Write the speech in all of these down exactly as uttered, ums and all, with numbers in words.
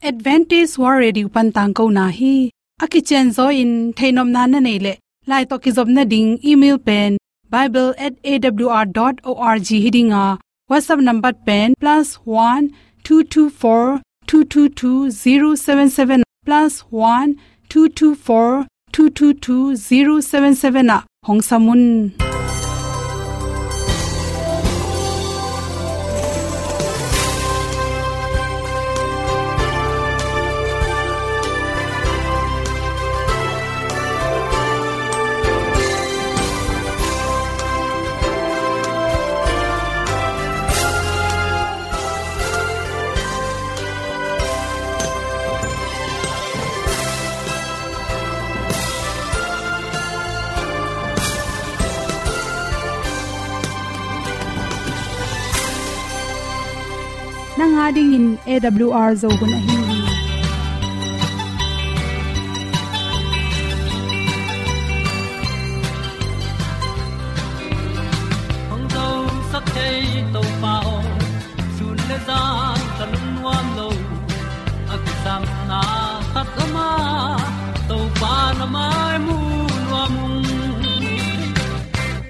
Adventist World Radio pan tangkona hi. A kicianzaw in theihnopna na neih leh, lai tawh kizopna ding email pen bible at A W R dot org hi ding a, WhatsApp number pen plus one two two four two two two zero seven seven, plus one two two four two two two zero seven seven ah hong sam un. Nang a dingin A W R Zo hun ahi hi. Hong zosak thei Topa aw, sun le zan ka lungnuam lo. A kisapna khat om a, Topa na mai mu nuam ung.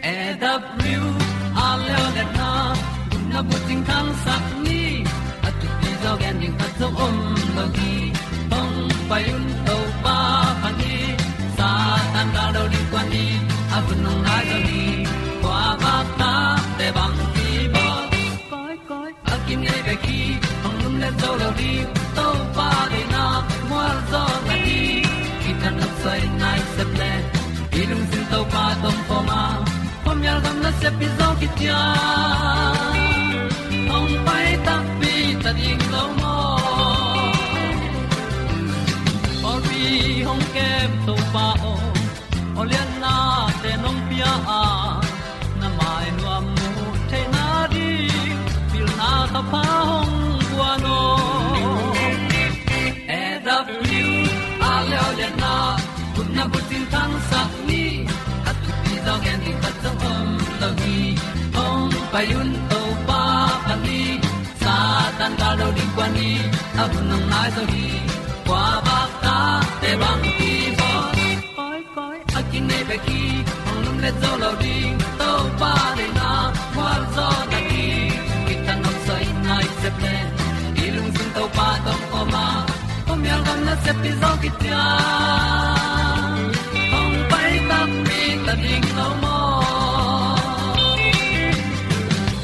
A W R leuleu na, na bucing khangsak ni, a thupi zaw gen ding khat zong om lo hi. Hong pai un Topa pha ni, Satan gal lo ding kua ni, a hun hong nai zaw ni, kua bak ta te bang ki bawl. Koi, koi, a kinei bek hi, hong lum le zo lo ding, Topa deihna mual zaw na hi. Kitang a soi nai sep le, i lungsim Topa tawh pom a, pom yal gam na sep i zaw kician. Hong pai takpi ta ding lo maw? Pawlpi hong kem Topa aw, aw lianna te nong pia a, na mai nuam mu theihna ding, pilna ka pha hong guan aw. A W R leuleu na, kutna bucing khangsak ni, a thupi zaw gen ding khat zong om lo hi. Hong pai un Topa pha ni, Satan gal lo ding kua ni, a hun hong nai zaw hi. Kua bak ta te bang ki bawl. Koi, koi, a kinei bek hi, hong lum le zo lo ding, Topa deihna mual zaw na hi. Kitang a soi nai sep le, i lungsim Topa tawh pom a, pom yal gam na sep i zaw kician. Hong pai takpi ta ding lo maw?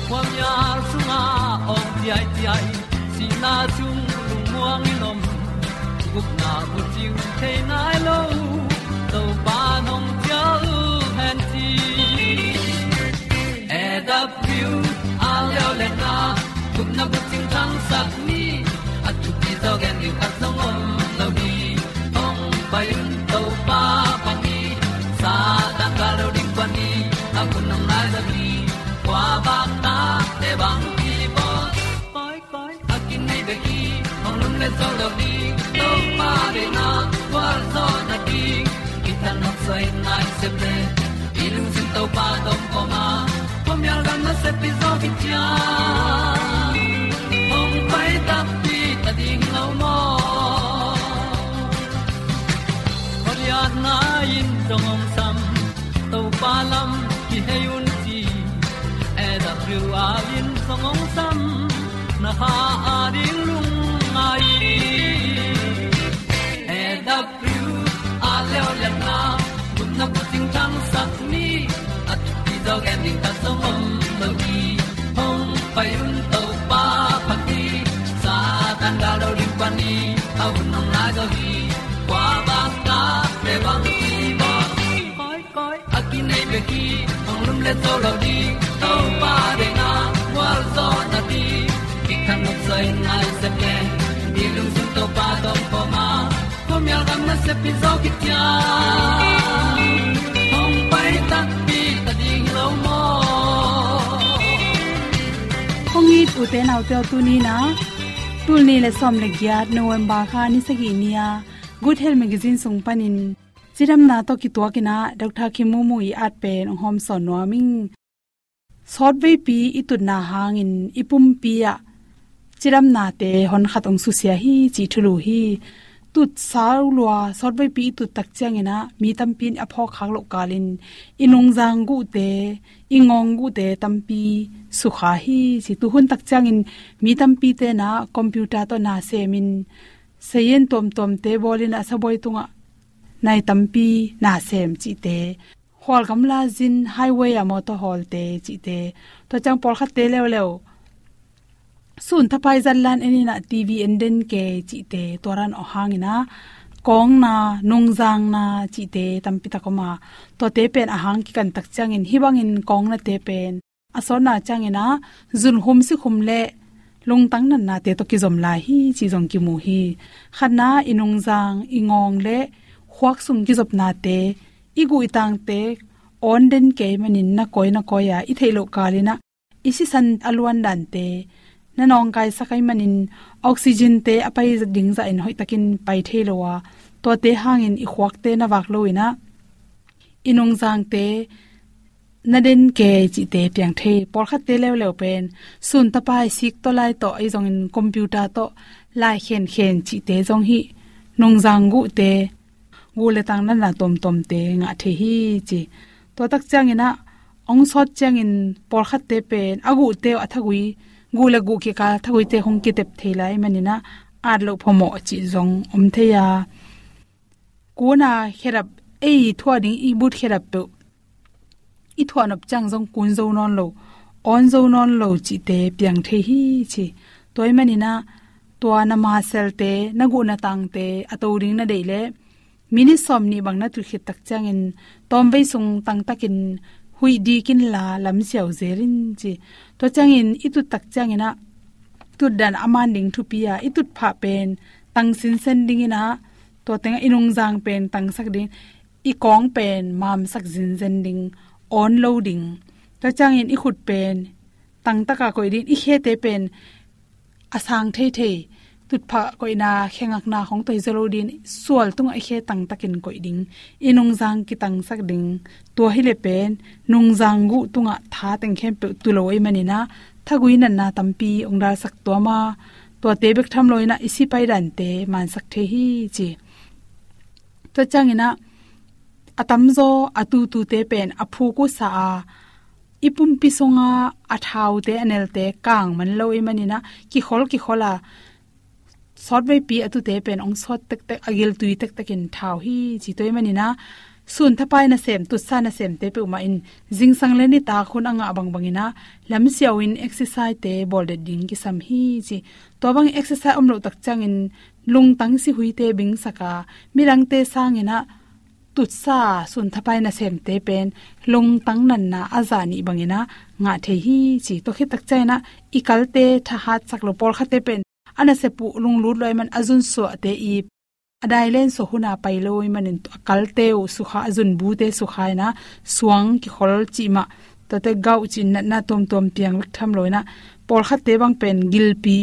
Khuamial sungah awng ciaiciai, sihna sung lungmuang in om, gupna bucing thei nai lo, Topa nong cial hen ci. A W R leuleu na, gupna bucing khangsak ni, a thupi zaw gen ding khat zong om lo hi. Hong pai un Topa pha ni, Satan gal lo ding kua ni, a hun hong nai zaw hi. Kua bak ta te bang ki bawl. Koi, koi, a kinei bek hi, hong lum le zo lo ding, Topa deihna mual zaw na hi. Kitang a soi nai sep le, i lungsim Topa tawh pom a, pom yal gam na sep i zaw kician. Hong pai takpi ta ding lo maw? Goliath nai in zong hong sam, Topa lam kihei un ci. A W R in zong hong sam, na kha a ding lungngai. A W R leuleu na, gupna bucing khangsak ni, a thupi zaw gen ding khat zong om lo hi. Hong pai un Topa pha ni, Satan gal lo ding kua ni, a hun hong nai zaw hi. Kua bak ta te bang ki bawl. Koi, koi, a kinei bek hi, hong lum le zo lo ding, Topa deihna mual zaw na hi. Kitang a soi nai sep le, i lungsim Topa tawh pom a, pom yal gam na sep i zaw kician. Hong pai takpi ta ding lo maw? Hong it ute naute aw, tuni in ah, tul nih le sawm le giat November kha ni sagih ni-a Good Health Magazine sung panin cidamna tawh kituakin ah Doctor Kim Mu Mu i at pen hong hawmsawn nuam ing. Sawtveipi i tutna hangin i pumpi ah cidamnate honkhat hong susia hi cih thulu hi. Tut sau lua, sawtveipi i tut tak ciangin ah mi tampi in a phawk khak loh kalin i nungzang guhte, i ngawng guhte tampi sukha hi ci. Tuhun tak ciangin mi tampite in ah computer tawh na semin, sayen tuamtuamte bawlin ah sabuai tungah nai tampi na sem cihte, hual gamla zin highway ah motor hawlte cihte, tua ciang pawlkhatte leuleu sun thapai zat lan en in ah TV en den kei cihte, tua ran aw hangin ah kawngna, nungzangna cihte tampi tak om a, tuate pen a hang kikan tak ciangin hih bangin kawngnate pen a sawtna ciangin ah zunkhum sikhum le lungtang natnate tawh kizom lai hi ci zong kimu hi. Khatna, i nungzang, i ngawng le khuak sung kizopnate, i guh i tangte awn den kei manin na kawi na kawi a, i theih loh kalin ah i sisan a luan dante na nawngkaisak ahih manin oxygente a pai ding zahin hoihtakin pai thei lo a, tuate hangin i khuakte na vak lo in ah i nungzangte na den kei cihte piang thei. Pawlkhatte leuleu pen sun tapai sik tawh lai tawh ahi zongin computer tawh lai khenkhen cihte zong hih nungzang guhte, guh le tang natna tuamtuamte ngah thei hi ci. Tua tak ciangin ah hong sawt ciangin pawlkhatte pen a guhte uh a thagui, guh le guh kikal thaguite hong kitep thei lai manin ah at loh phamawh cih zong om thei a, kuna khedap, ei thuah ding i but khedap peuh i thuah nop ciang zong kun zo nawn lo, awn zo nawn lo cihte piang thei hi ci. Tua ahih manin ah tua na maselte, na guh na tangte a to ding na deih leh minit sawmnih bang na tut khit tak ciangin tawmvei sung tangtakin huih dik inla lamsiau zel in ci. Tua ciangin i tut tak ciangin ah tutdan a man ding thupi a, i tutphah pen tang sinsen ding in ah, tua tengah i nungzang pen tangsak ding, i kawng pen mamsak zinzen ding, awn lo ding. Tua ciangin i khut pen tangtaka koih ding, i khete pen a sang theithei, tutphah koihna, khe ngakna khong tawh hi zaw lo ding, sual tungah i khe tangtakin koih ding, i nungzang kitangsak ding. Tua hileh pen nungzang guh tungah tha teng khempeuh tu lo ahih manin ah thagui natna tampi hong dalsak tuam a, tuate bek tham lo in ah i sipai dante mansak thei hi ci. Tua ciangin ah a tamzaw a tutute pen a phuk uh sa a, i pumpi sunga a thaute, a nelte kang man lo ahih manin ah kikhol kikhol a, sawtveipi a tute pen hong sawt tektek, a giltui tektekin thau hi ci. Tua ahih manin ah sun thapai nasem, tutsa nasemte peuhmah in zingsang le nitak hun a ngah bangbangin ah lamsiau in exercisete bawl det ding kisam hi ci. Tua bang exercise om loh tak ciangin lungtang sihuite bingsak a, midangte sangin ah tutsa, sun thapai nasemte pen lungtang natna a zah nih bangin ah ngah thei hi ci. Tua khit tak ciangin ah i kalte thahatsak lo, pawlkhatte pen a nasep uh lunglut lo ahih man a zunsuahte i a dailen suah huna pai lo ahih manin a kalte uh sukha, a zunbute sukha in ah suang kikhol cih mah, tuate gauh cih natna tuamtuam piang bek tham lo in ah pawlkhatte bang pen gilpi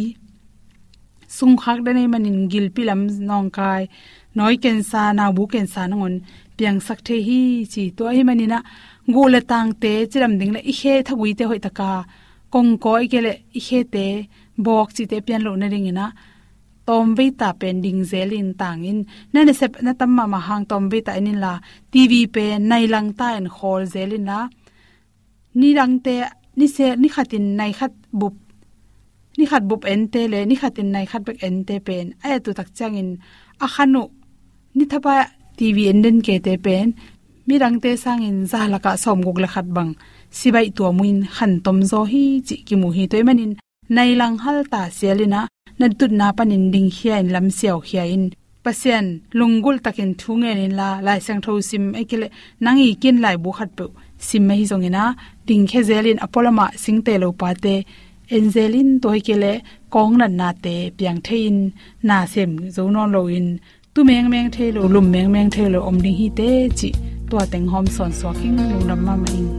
sungkhak den ahih manin gilpi lam nawngkai, nawi kensa, naubu kensa nangawn piangsak thei hi ci. Tua ahih manin ah guh le tangte cidam ding le i khe thaguite hoihtaka kongkaw, ahih kei leh i khete bawk cihte pian loh nadingin ah tawmvei ta pen ding zelin tangin, na nasep na tam mahmah hang tawmvei ta en inla, TV pen nai lang ta in khawl zel inla, nidangte, nise, nikhatin nai khat bup, nikhat bup ente le nikhatin nai khat bek ente pen a et uh tak ciangin a khan uh, ni thapai TV en den keite pen midangte sangin za lakah sawmguk le khat bang sibaih tuam uh in khan tomzaw hi cih kimu hi. Tua ahih manin nai lang hal ta sial in ah, na tutna panin dingkhia in, lamsiaukhia in, Pasian lunggulh takin thu ngen inla, Lai Siangtho sim, ahih kei leh nang i kin laibu khatpeuh sim ahi zongin ah, dingkhia zel in, a pualamah singte lo pate en zel in, tua ahih kei leh kawng natnate piang thei in, na sem zo nawn loin, tu mengmeng thei lo, lum mengmeng thei lo om ding hi teh cih tua teng hawm sawnsuak ing. Lungdam mahmah ing.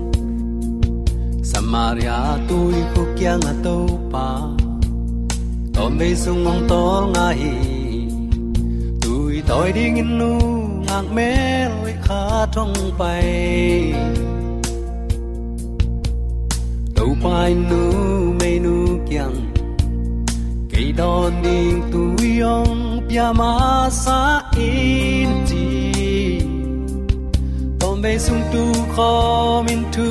Samaria tuikhuk kiangah Topa tawmvei sung hong tawlnga hi. Tui tawi dingin nungak mel hoih khat hong pai. Topa in numeinu kiang Kei dawn ding tui hong pia masa in ci, tawmvei sung tu khawm in thu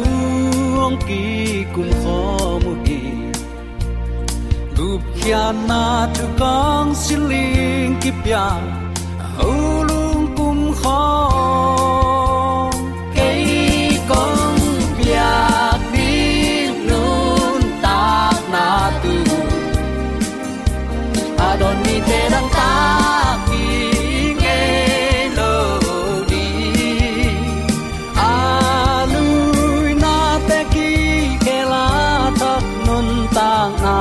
hong kikum khawm uh hi. Gupkhiatna thu kong siling kipia, a hulung kum khawm. Kei kong piak ding nuntakna tu, a dawn mite dangtak ding ngei lo ding. A luinate kikhel a thak nuntakna,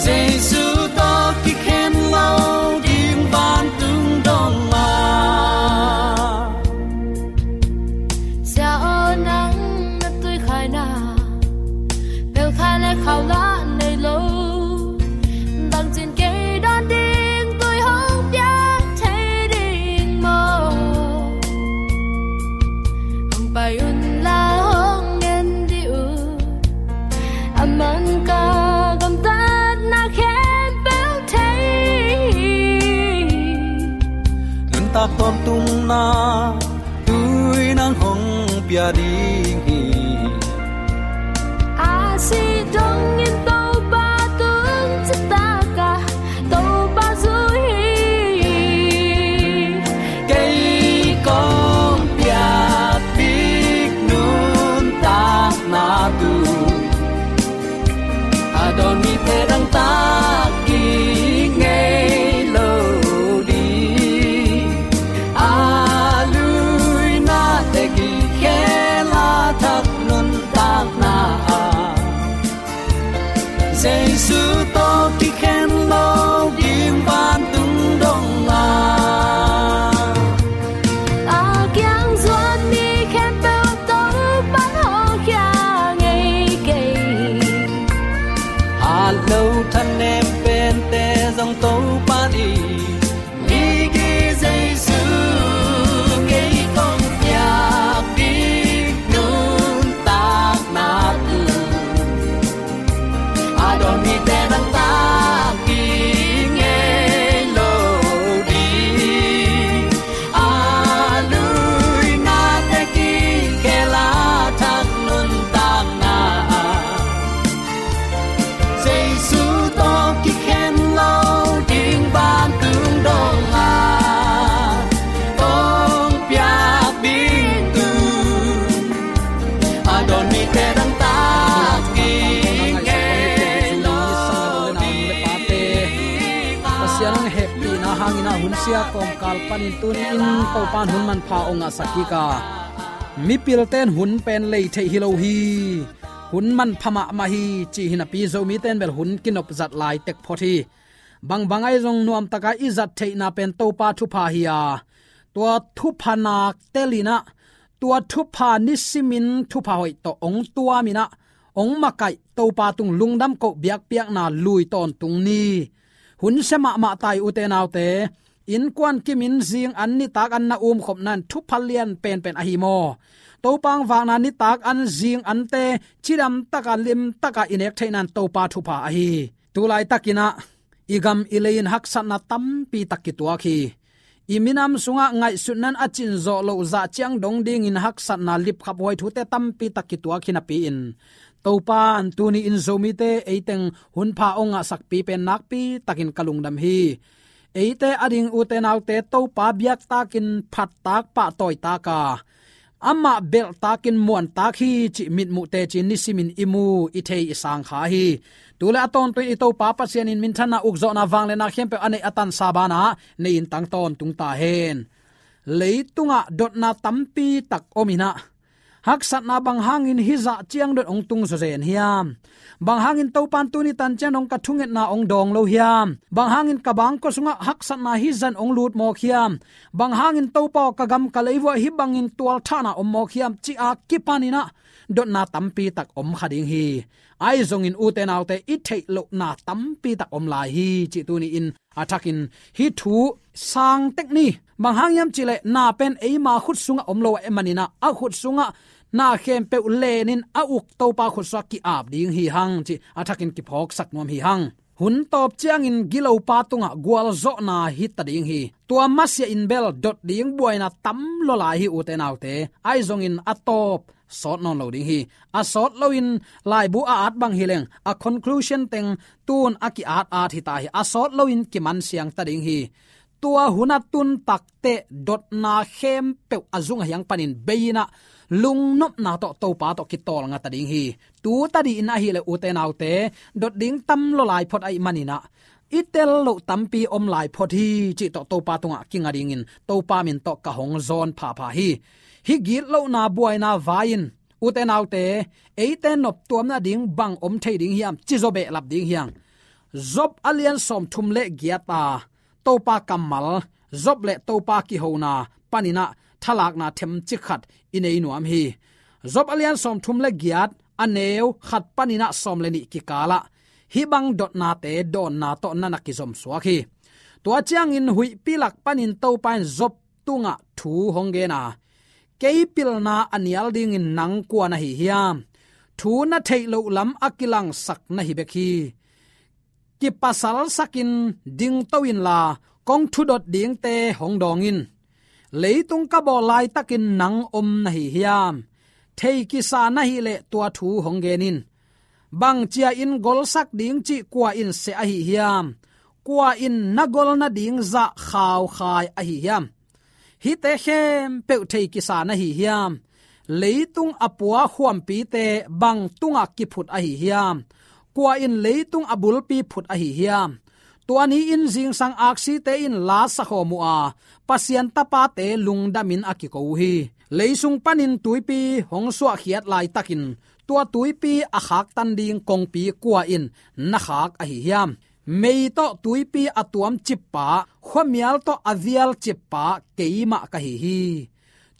Jesu tawh kikhen lo ding vantung dong a. Sia aw, nang na tuikhai na, pelkhai le khau la nei lo. Bangcin kei dawn ding tui hong piak thei ding maw? Hong pai un la, hong ngen dih un. A man ka gamtatna khempeuh thei. Nuntak tawntungna tui nang hong pia ding hi. A sih dongin Topa tung citak a, Topa zui hi. Kei kong piak ding nuntakna tu, a dawn mite dangtak ding ngei lo ding. A luinate kikhel a thak nuntakna, Jesu tawh kikhen lo ding vantung dong a. A kiang zuan mi khempeuh Topa'n hawlkhia ngei kei. Hat lo thanem pente zong Topa ding Jesu, kei kong piak ding nuntakna tu, a dawn mite dangtak ding ngei lo ding. A luinate kikhel a thak nuntakna, Jesu tawh kikhen lo ding vantung dong a, kong piak ding tu, a dawn mite dangtak ding ngei lo ding. Pasian hong hehpihna hangin a hun sia kawmkal panin tuni-in Topa'n hun manpha hong ngahsak kik a, mipilte in hun pen lei theih hi lo hi. Hun manpha mahmah hi cih hi napi Zomite in bel hun kinop zat lai tek phot hi. Bangbang ahi zong nuamtak a i zat theihna pen Topa thupha hi a, tua thupha nak tel in a, tua thupha nisimin thupha hoih tawh hong tuam in a, hong makaih Topa tung lungdam koh biakpiakna lui tawntung ni. Hun sia mahmah ta hi, ute naute. Innkuan kimin zing an, nitak an na umkhopna in thupha lian penpen ahi maw? Topa hong vakna nitak an, zing ante cidam taka, lim taka i nek theihna in Topa thupha ahi. Tulaitakin a, i gam i lei in haksatna tampi tak kituak hi. I minam sungah ngaihsutna in a cin zawh loh, zah ciang dong dingin haksatna, lipkhaphuai thute tampi tak kituak hi napi-in, Topa'n tuni-in Zomite eiteng hunpha hong ngahsakpi pen nakpi takin ka lungdam hi. Eite ading, ute naute, Topa biaktakin phattak, pahtawitak a, amah belhtakin muantak hi cih mitmuh teci-in nisimin i mu, i thei, i sang kha hi. Tu le a tawntung i Topa Pasian in minthanna, ukzawhna, vangliatna khempeuh a neih a tansa banah nei-in tang tawntung ta hen. Leitungah dotna tampi tak om in a, haksatna bang hangin hih zah ciang dot hong tung zawzen hiam? Bang hangin Topa'n tuni tan ciang dong ka thungetna hong dawng lo hiam? Bang hangin ka bangkua sungah haksatna hih zah in hong lut mawk hiam? Bang hangin Topa aw, ka gam ka lei vuah hih bangin tualthahna om mawk hiam, ci-a kipan in a, dotna tampi tak om kha ding hi. Ahi zongin, ute naute, i theih lohna tampi tak om lai hi cih tuni-in a thakin hih thu sang tek ni. Bang hang hiam cih leh, na pen eima khut sungah om lo ahih manin a, a khut sungah na khempeuh lenin a uk Topa khutsuak ki-ap ding hi hang, ci a thakin kiphawksak nuam hi hang. Hun tawp ciangin gilopa tungah gualzawhna hi ta ding hi. Tua masiah in bel dot ding buaina tam lua lai hi, ute naute. Ahi zongin a tawp sawt nawn lo ding hi. A sawt loin laibu a at bang hi leng, a conclusion teng tun a ki-at at hi ta hi. A sawt loin kiman siang ta ding hi. Tua hun a tun takteh dotna khempeuh a zung a hiang panin bei-in ah lungnopna tawh Topa tawh kitawlnga ta ding hi. Tu tadi in ahih leh, ute naute, dot ding tam lua lai phot ahih manin ah, i tel loh tampi om lai phot hi, cih tawh Topa tungah kinga dingin Topa min tawh ka hong zawn phapha hi. Hih gitlohna buaina vai-in, ute naute, eite noptuam nading bang om thei ding hiam, ci zaw behlap ding hi hang. Job a lian sawmthum le giat a Topa kammal, Job le Topa kihona panin ah thalakna themcik khat i nei nuam hi. Job a lian sawmthum le giat, a neu khat panin ah sawm le nih kikal ah hih bang dotnate dawnna tawh na na kizom suak hi. Tua ciangin huihpi lak panin Topa in Job tungah thu hong gen a, kei pilna a nial dingin nang kua na hi hiam? Thu na theih loh lam a kilangsak na hi bek hi. Kipasalsakin dingto inla, kong thudot dingte hong dawng in. Leitung ka bawl laitakin nang om na hi hiam? Thei kisa na hih leh tua thu hong gen in. Bang cia-in golsak ding cih kua in seh ahi hiam? Kua in na gol nading zah khaukhai ahi hiam? Hihte khempeuh thei kisa na hi hiam? Leitung a pua khuampite bang tungah kiphut ahi hiam? Kua in leitung a bulpi phut ahi hiam? Tua ni-in zingsang aksite in la sakhawm uh a, Pasian tapate lungdamin a kiko uh hi. Leisung panin tuipi hong suahkhiat laitakin tua tuipi a khaktan ding kongpi kua in na khak ahi hiam? Mei tawh tuipi a tuam cippa, khuamial tawh a vial cippa keimah ka hi hi.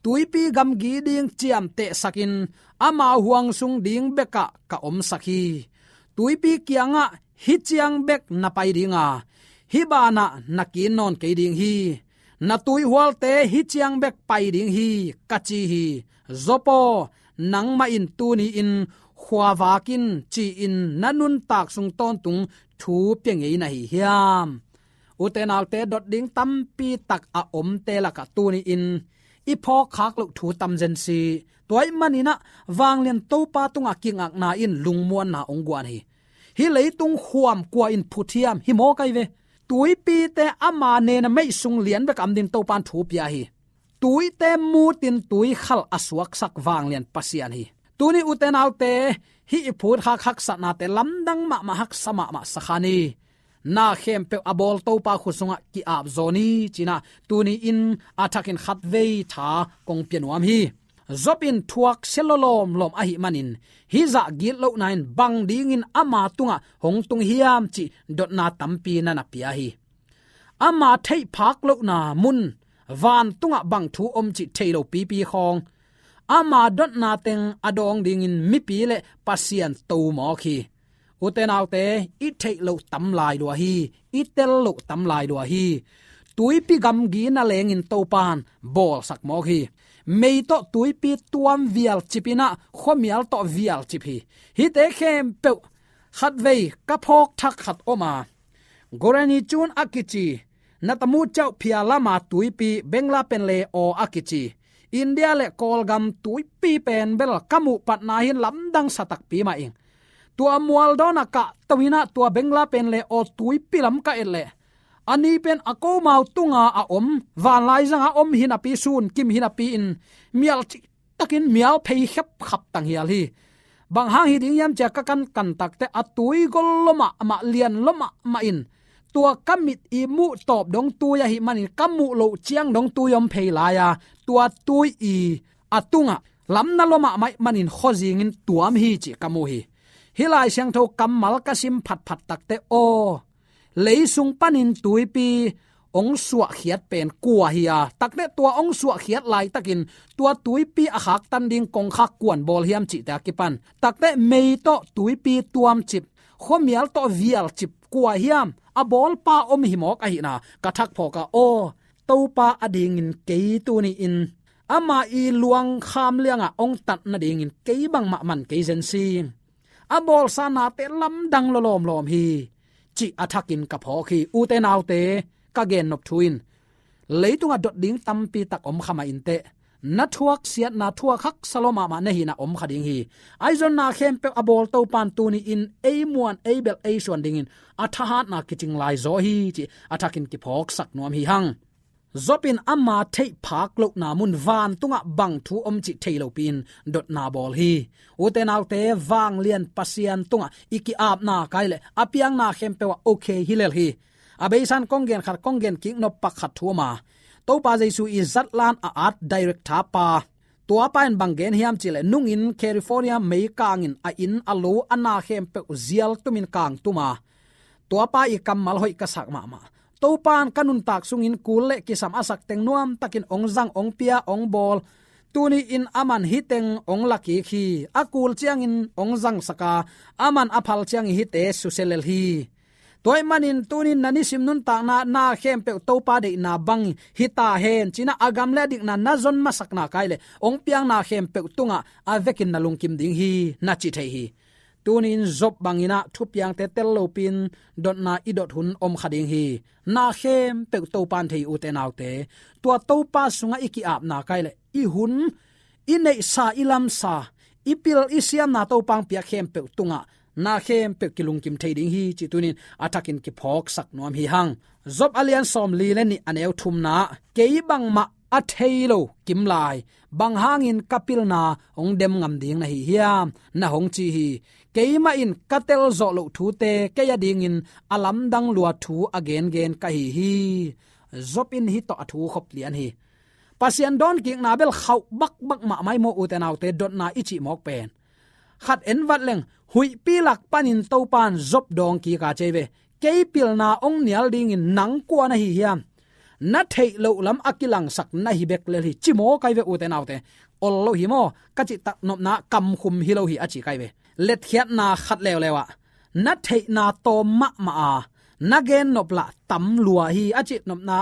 Tuipi gamgi ding ciamtehsakin ama huang sung ding bekah ka omsak hi. Tuipi kiangah hih ciang bek na pai ding a, hih banah na kin nawn kei ding hi. Na tuihualte hih ciang bek pai ding hi, ka ci hi. Job aw, nangmah in tuni-in khuavak in ci-in na nuntak sung tawntung thu pia ngei na hi hiam? Ute naute, dot ding tampi tak a omte lakah tuni-in i phawkkhak loh thu tam zen si. Tua ahih manin ah vanglian Topa tungah kingakna in lungmuanna hong guan hi. Hih leitung khuam kua in phut hiam, hi mawk ahi ve. Tuipite ama nena meih sung lian bek a om dingin Topa in thu pia hi. Tuite mutin tuikhal a suaksak vanglian Pasian hi. Tuni ute naute, hih i phutkhak haksatnate lamdang mahmah, haksa mahmah sa kha ni. Na khempeuh a bawl Topa khut sungah ki-ap zaw ni, ci-in ah tuni-in a thakin khatvei tha kong pia nuam hi. Job in thuaksia lua lawmlawm ahih manin, hih zah gitlohna in bang dingin ama tungah hong tung hiam cih dotna tampi na na pia hi. Ama theihphak lohna mun, vantungah bang thu om cih thei lo pipi khawng, ama dotna teng a dawng dingin mipi le Pasian to mawk hi. Ute naute, i theih loh tam lai lua hi, i tel loh tam lai lua hi. Tuipi gamgi na lengin Topa in bawlsak mawk hi. Mei tawh tuipi tuam vialcip in ah khuamial tawh vialcip hi. Hihte khempeuh khatvei ka phawk thak khat om a, Gorani Chun a kici, Natamu Chauh Phya Lama tuipi, Bengla pen le aw a kici, India le Kawlgam tuipi pen bel ka muh patna hin lamdang sa takpi mah ing. Tua mual dawnah kah to in ah tua Bengla pen le aw tuipi lam ka et leh, a ni pen a komau tunga a om, vanlaizang a om hi napi, sun kim hi napi in mial cihtakin mial phei khepkhap tanghial hi. Bang hang hi ding hiam ci-a ka kankan takteh a tui gol lua mahmah, lian lua mahmah in, tua ka mit i muh tawp dong tui ahih manin ka muh loh ciang dong tui om phei lai a, tua tui i a tungah lamna lua mahmah ahih manin khuazingin tuam hi cih ka mu hi. Hih Lai Siangtho kammal ka sim phatphat takteh aw, leisung panin tuipi hong suahkhiat pen kua hi a, takteh tua hong suahkhiat laitakin tua tuipi a khaktan ding kongkhak kua in bawl hiam cihte a kipan, takteh mei tawh tuipi tuamcip, khuamial tawh vialcip kua hiam, a bawlpa om hi mawk ahihna ka thak phawk a, aw, Topa adingin kei tuni-in ama i luang kham liangah hong tat nadingin kei bangmah man kei zen si. A bawlsa nate lamdang lua lawmlawm hi, cih a thakin ka phawk hi. Ute naute, ka gennop thu in leitungah dot ding tampi tak om kha mah inteh, na thuak siatna, thuak haksa lua mahmah na hihna om kha ding hi. Ahi zong na khempeuh a bawl Topa'n tuni-in ei muan, ei belh, ei suan dingin a thahatna kicing lai zaw hi, cih a thakin kiphawksak nuam hi hang. Job in ama theih phak lohna mun vantungah bang thu om cih thei lopi-in dotna bawl hi. Ute naute, vanglian Pasian tungah i ki-apna kai leh a piangna khempeuh ah okay hi lel hi. A beisa-in kong gen khat, kong gen kik nop pak khat thu om a, Topa Jesu i zatlan a art director pa, tua pa in bang gen hiam cih leh, nungin California meikang in a inn, a lo, a na khempeuh zial tumin kang tum a, tua pa i kammal hoih ka sak mahmah. Topa'n ka nuntak sungin kul le kisam a sak teng nuamtakin hong zang, hong pia, hong bawl. Tuni-in aman hih teng hong la kik hi. A kul ciangin hong zangsak a, aman a phal ciangin hihte susia lel hi. Tua ahih manin tuni-in na nisim nuntakna, na khempeuh Topa deihna bang hi ta hen, ci-in a gam le a dikna na zon masakna kai leh hong piang na khempeuh tungah a vekin na lungkim ding hi, na ci thei hi. Tuni-in Job bangin ah thupiangte tel lopi-in dotna i dot hun om kha ding hi. Na khempeuh Topa'n thei hi, ute naute. Tua Topa sungah i ki-apna kai leh i hun, i neihsa, i lamsa, i pil, i siamna, Topa'n piak khempeuh tungah na khempeuh kilungkim thei ding hi, cih tuni-in a thakin kiphawksak nuam hi hang. Job a lian sawmli le nih, a neu thumna, kei bangmah a thei lo kim lai, bang hangin ka pilna hong dem ngam ding na hi hiam, na hong ci hi. Keimah in ka telzawh loh thute kei adingin a lamdang lua thu a gengen ka hi hi. Job in hih tawh a thu khop lian hi. Pasian dawnkikna bel khauh bakbak mahmah hi maw, ute naute, dotna i cih mawk pen. Khat en vat leng, huihpi lak panin Topa'n Job dawng kik a, ci hi ve. Kei pilna hong nial dingin nang kua na hi hiam? Na theih loh lam a kilangsak na hi bek lel hi, ci mawk hi ve, ute naute. Ol lo hi maw, ka cih tak nopna, kamkhum hi lo hi, a ci hi ve. Letkhiatna khat leuleu ah, na theihna tawm mahmah a, na gennop lah tam lua hi, a cih nopna,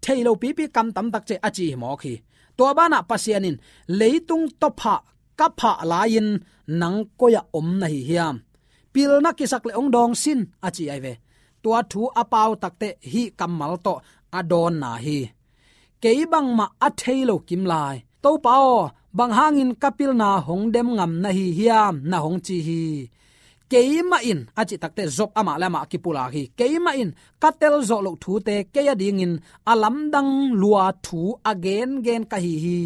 thei lo pipi kam tam tak ci a ci hi mawk hi. Tua banah Pasian in, leitung tawphah ka phah lai-in nang koi-ah om na hi hiam? Pilna kisak leh hong dawng sin, a ci hi ve. Tua thu a pau takteh hih kammal tawh a dawnna hi. Kei bangmah a thei lo kim lai, Topa aw, bang hangin ka pilna hong dem ngam na hi hiam, na hong ci hi. Keimah in, a cih takteh Job amah le amah a kipulak hi. Keimah in ka telzawh loh thute kei adingin a lamdang lua thu a gengen ka hi hi.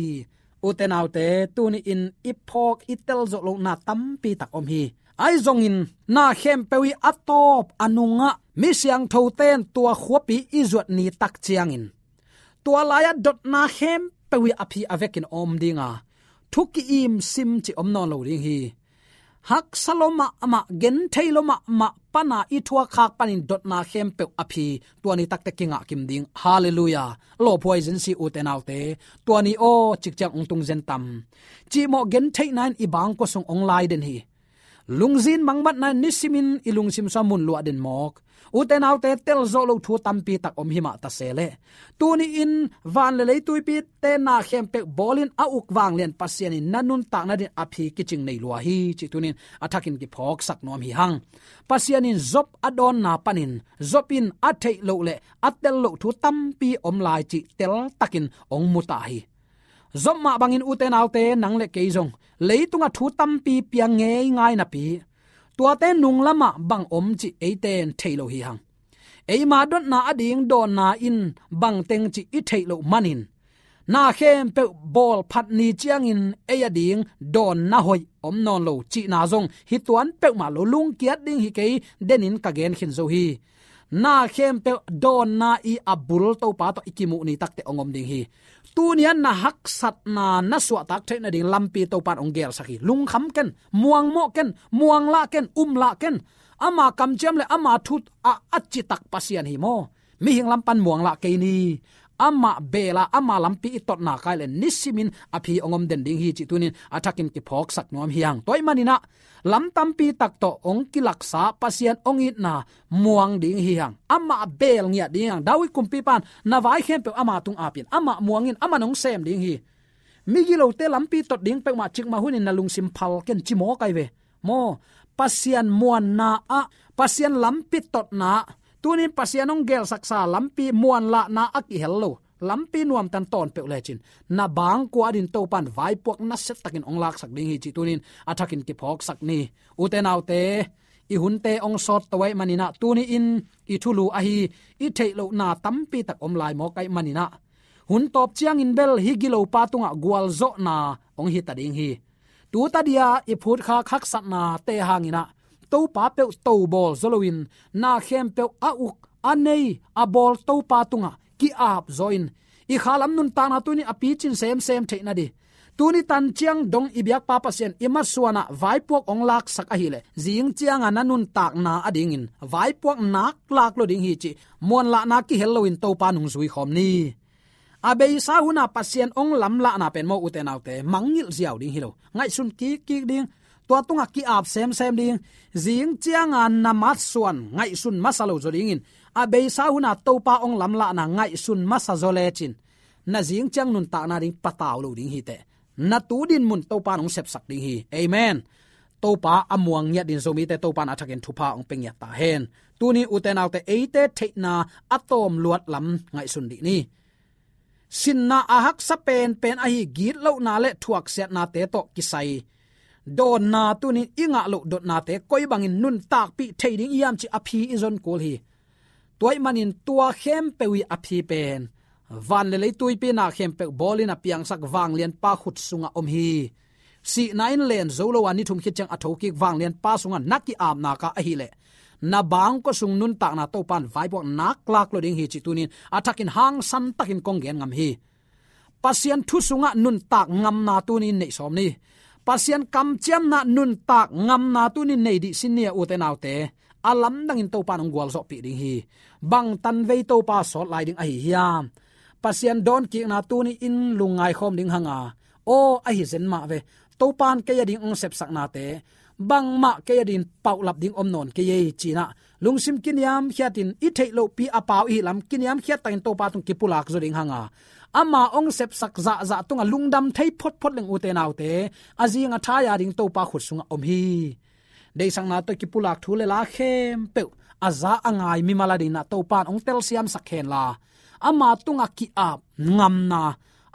Ute naute, tuni-in i phawk, i telzawh lohna tampi tak om hi. Ahi zongin na khempeuh i a tawp a nungah mi siangthote in tua khuapi i zuat ni tak ciangin, tua lai-ah dotna khempeuh i a phi a vekin om ding a, thu ki-im sim cih om nawn lo ding hi. Haksa lua mahmah, genthei lua mahmah pana i thuak khak panin dotna khempeuh a phi, tua ni takteh kingah kim ding. Halleluiah. Lawphuai zen si, ute naute. Tua ni aw, cikciang hong tung zen tam. Cihmawh gentheihna in i bangkua sung hong lai den hi. Lungzin mangbatna in nisimin i lungsim sungah mun luah den mawk. Ute naute, telzawh loh thu tampi tak om hi mah ta se leh, tuni-in van le lei tuipite na khempeuh bawlin a uk vanglian Pasian in na nuntakna dingin a phi kicing nei lua hi, cih tuni-in a thakin kiphawksak nuam hi hang. Pasian in Job a dawnna panin, Job in a theih loh le a tel loh thu tampi om lai cih teltakin hong mu ta hi. Job mah bangin, ute naute, nang le kei zong leitungah thu tampi piang ngeingai napi, tuate nung lamah bang om cih eite in thei lo hi hang. Eima dotna ading dawnna in bangteng cih i theih loh manin, na khempeuh bawl phat ni ciangin ei ading dawnna hoih om nawn lo cihna zong hi tuan peuhmah lo, lungkiat ding hi kei, denin ka gen khin zo hi. Na khempeuh dawnna i a bul Topa tawh i kimuh ni takteh hong om ding hi. Tuni-a na haksatna na suahtak theih nading lampi Topa in hong gelsak hi. Lungkham ken, muangmawh ken, muanglah ken, umlah ken. Ama kamciam le ama thu a, a citak Pasian hi maw. Mihing lam pan muanglah kei ni. Amah beel a, ama lampi i totna kai le nisimin a phi hong om den ding hi, cih tuni-in a thakin kiphawksak nuam hi hang. Tua ahih manin ah, lam tampi tak tawh hong kilaksa Pasian hong itna muang ding hi hang. Amah beel ngiat ding hi hang. David kumpipa in, na vai khempeuh ama tung ap in, amah muang in, aman hong sem ding hi. Migilote lampi tot ding peuhmah cikmah hunin na lungsim phal ken ci mawk ai ve. Maw, Pasian muanna ah, Pasian lampi totna ah, tunin Pasian hong gelsaksa lampi muanlahna a kihel lo, lampi nuamtan tawn peuh lecin, na bangkua adin Topan vaipuak nasiatakin hong laksak ding hi cih tunin a thakin kiphawksak ni. Ute naute, i hunte hong sawt to ahih maninah, tuni-in i thulu ahi, i theih lohna tampi tak om lai mawk ahih maninah, hun tawp ciangin bel hih gilopa tungah gualzawhna hong hita ding hi. Tuta dia i phutkhak haksatnate hanginah, Topa peuh tobawl zaw loin, na khempeuh a uk, a nei, a bawl Topa tungah ki-ap zaw in, i khalam nuntakna tuni a picin semsem theih nading, tuni tan ciang dong i biakpa Pasian i masuanah vaipuak hong laksak ahileh, zing cianga na nuntakna adingin vaipuak nak lak lo ding hi cih muanlahna kihel loin Topa nungzui khawm ni. A beisa huna Pasian hong lamlahna pen maw, ute naute, mangngilh ziau ding hi lo. Ngaihsun kikkik ding, tua tungah ki-ap semsem ding, zing cianga na masuan ngaihsun masa lo zaw dingin, a beisa huna Topa hong lamlahna ngaihsun masa zaw lecin, na zing ciang nuntakna ding patau lo ding hi teh. Na tu dinmun Topa in hong sepsak ding hi. Amen. Topa a muang ngiat din Zomite Topa in a thakin thupha hong pia ngiat ta hen. Tuni ute naute, eite theihna a tawm luat lam ngaihsun dih ni. Sinna a haksa penpen ahi gitlohna le thuaksiatnate tawh kisai dawnna, tunin i ngah loh dotnate koi bangin nuntakpih thei ding i hiam cih a phi i zon kul hi. Tua ahih manin tua khempeuh i a phi pen, van le lei tuipi na khempeuh bawlin a piangsak vanglianpa khut sungah om hi. Sihna in len zo lo a, ni thum khit ciang a thokik vanglianpa sungah na ki-apna kah ahileh, na bangkua sung nuntakna Topa in vaipuak nak lak lo ding hi cih tunin a thakin hangsan takin kong gen ngam hi. Pasian thu sungah nuntak ngamna tunin neih sawm ni. Pasian kamciamna nuntak ngamna tunin nei dih sin ni a, ute naute. A lamdangin Topa in hong gualzawhpih ding hi. Bang tanvei Topa sawt lai ding ahi hiam? Pasian dawnkikna tuni-in lungngai khawm ding hanga, aw, ahi zen mah ve. Topa in kei ading hong sepsaknate bangmah kei adingin paulap ding om nawn kei ei, cinah lungsim kiniamkhiatin, i theih lohpi a pau i hih lam kiniamkhiat takin Topa tung kipulak zaw ding hanga, ama hong sepsak zahzah tungah lungdam thei photphot leng, ute naute, a zing a thai ading Topa khut sungah om hi. Deihsakna tawh kipulak thu le la khempeuh a za a ngai mimal adinah Topa in hong telsiamsak henla, ama tungah ki-ap ngamna,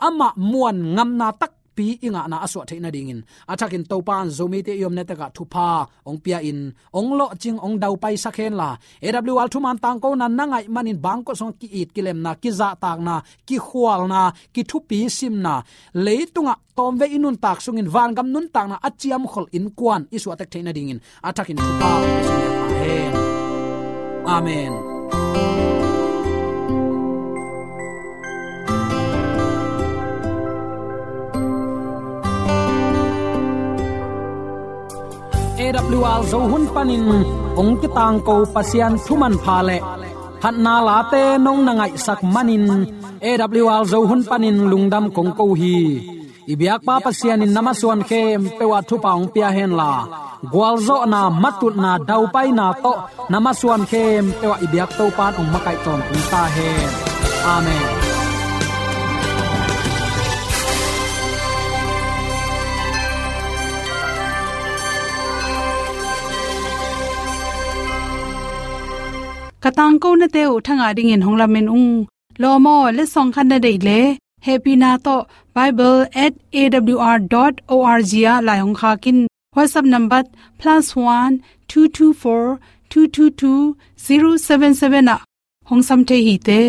amah muan ngamna takpi i ngahna a suah theih nadingin a thakin Topa in Zomite i omna tekah thupha hong pia-in, hong lawhcing, hong daupaisak henla, A W R thuman tangkona na ngaih manin bangkua sungah ki-it kilemna, kizahtakna, kikhualna, kithupi simna, leitungah tawmvei i nuntak sungin vangam nuntakna a ciamkhol innkuan i suahtek theih nadingin a thakin thupha hong pia sung hen. Amen. A W R Zo hun panin hong kitangko Pasian thu manpha le phatna late nong na ngaihsak manin A W R Zo hun panin lungdam kong ko hi. I biakpa Pasian in na masuan khempeuh ah thupha hong pia henla, gualzawhna, matutna, daupaina tawh na masuan khempeuh ah i biak Topa in hong makaih tawntung ta hen. Amen. Ka tangkonate uh thangah dingin hong lamen ung. Lawm aw, letsong khat na deih leh, hehpihna tawh bible at A W R dot O R G ah lai hong khak in. WhatsApp number plus one two two four two two two zero seven seven ah hong sam thei hi te.